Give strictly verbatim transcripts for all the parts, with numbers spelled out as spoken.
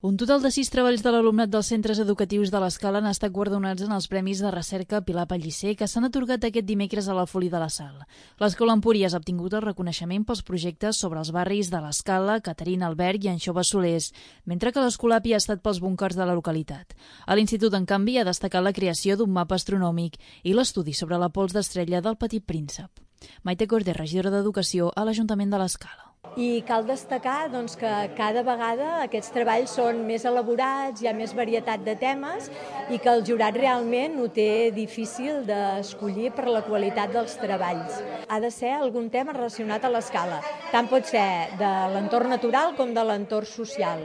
Un total de sis treballs de l'alumnat dels centres educatius de l'Escala han estat guardonats en els Premis de Recerca Pilar Pellicer que s'han atorgat aquest dimecres a la Folia de la Sal. L'Escola Empúries ha obtingut el reconeixement pels projectes sobre els barris de l'Escala, Caterina Albert i Anxova Solers, mentre que l'Escolapi ha estat pels búnquers de la localitat. A l'Institut, en canvi, ha destacat la creació d'un mapa astronòmic i l'estudi sobre la pols d'estrella del Petit Príncep. Maite Corder, regidora d'Educació a l'Ajuntament de l'Escala. I cal destacar doncs, que cada vegada aquests treballs són més elaborats, hi ha més varietat de temes i que el jurat realment ho té difícil d'escollir per la qualitat dels treballs. Ha de ser algun tema relacionat a l'Escala, tant pot ser de l'entorn natural com de l'entorn social.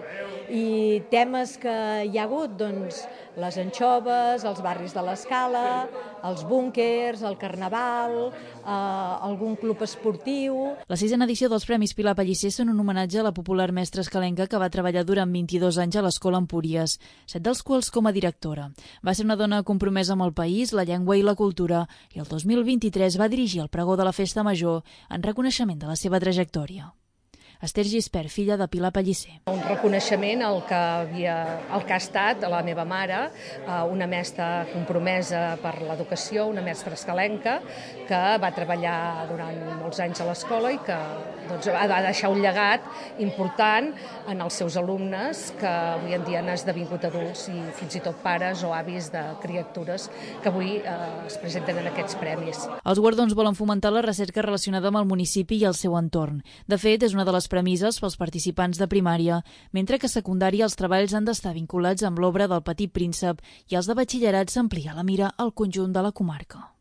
I temes que hi ha hagut, doncs, les anxoves, els barris de l'Escala, els búnquers, el carnaval, eh, algun club esportiu. La sisena edició dels Premis Pilar Pellicer són un homenatge a la popular mestra escalenca que va treballar durant vint-i-dos anys a l'Escola Empúries, set dels quals com a directora. Va ser una dona compromesa amb el país, la llengua i la cultura, i el dos mil vint-i-tres va dirigir el pregó de la Festa Major en reconeixement de la seva trajectòria. Esther Gispert, filla de Pilar Pellicer. Un reconeixement al que, havia, al que ha estat la meva mare, una mestra compromesa per l'educació, una mestra escalenca, que va treballar durant molts anys a l'escola i que doncs, va deixar un llegat important en els seus alumnes que avui en dia han esdevingut adults i fins i tot pares o avis de criatures que avui eh, es presenten en aquests premis. Els guardons volen fomentar la recerca relacionada amb el municipi i el seu entorn. De fet, és una de les premises pels participants de primària, mentre que a secundària els treballs han d'estar vinculats amb l'obra del Petit Príncep i els de batxillerat s'amplia la mira al conjunt de la comarca.